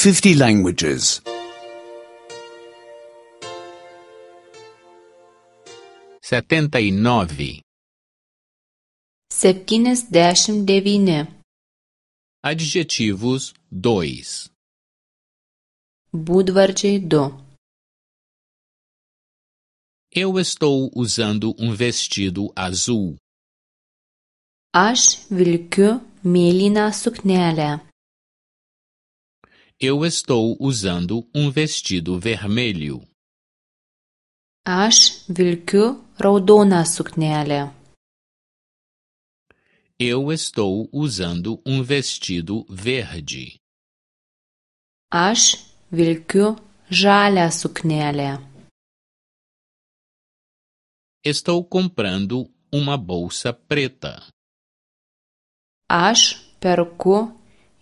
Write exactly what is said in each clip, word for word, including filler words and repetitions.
fifty languages. setenta e nove. septyniasdešimt devyni. Adjetivos dois. Būdvardžiai du. Eu estou usando um vestido azul. Aš vilkiu mėlyną suknelę. Eu estou usando um vestido vermelho. Aš vilkiu raudoną suknelę. Eu estou usando um vestido verde. Aš vilkiu žalią suknelę. Estou comprando uma bolsa preta. Aš perku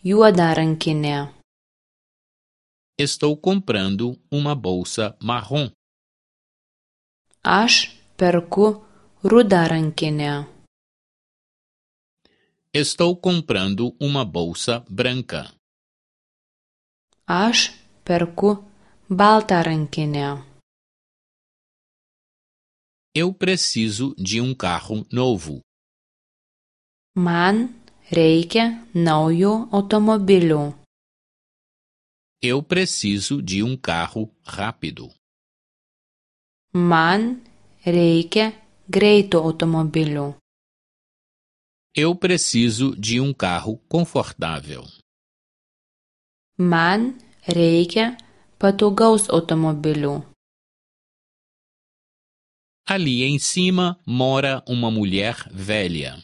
juodą rankinę. Estou comprando uma bolsa marrom. Aš perku rudą rankinę. Estou comprando uma bolsa branca. Aš perku baltą rankinę. Eu preciso de um carro novo. Man reikia naujo automobilio. Eu preciso de um carro rápido. Man reikia greito automobilio. Eu preciso de um carro confortável. Man reikia patogaus automobilio. Ali em cima mora uma mulher velha.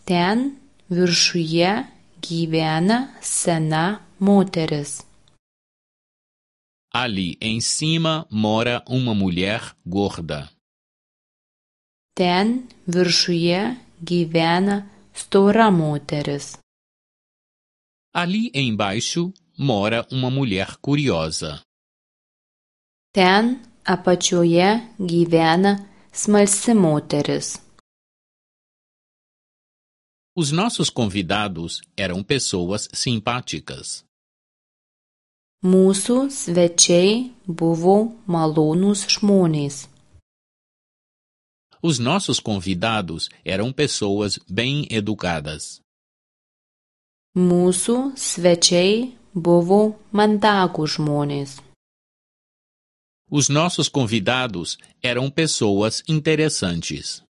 Ten viršuje gyvena sena moteris. Ali em cima mora uma mulher gorda. Ten viršuje gyvena stora moteris. Ali embaixo mora uma mulher curiosa. Ten apačioje gyvena smalsi moteris. Os nossos convidados eram pessoas simpáticas. Mūsų svečiai buvo malonūs žmonės. Os nossos convidados eram pessoas bem educadas. Mūsų svečiai buvo mandagūs žmonės. Os nossos convidados eram pessoas interessantes.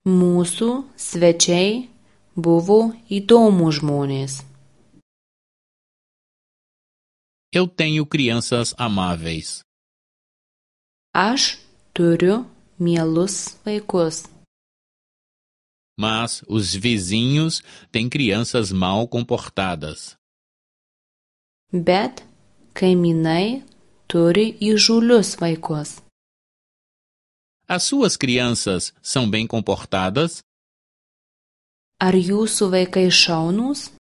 Mūsų svečiai buvo įdomūs žmonės. Eu tenho crianças amáveis. Aš turiu mielus vaikus. Mas os vizinhos têm crianças mal comportadas. Bet kaimynai turi įžūlius vaikus. As suas crianças são bem comportadas? Ar jūsų vaikai šaunūs?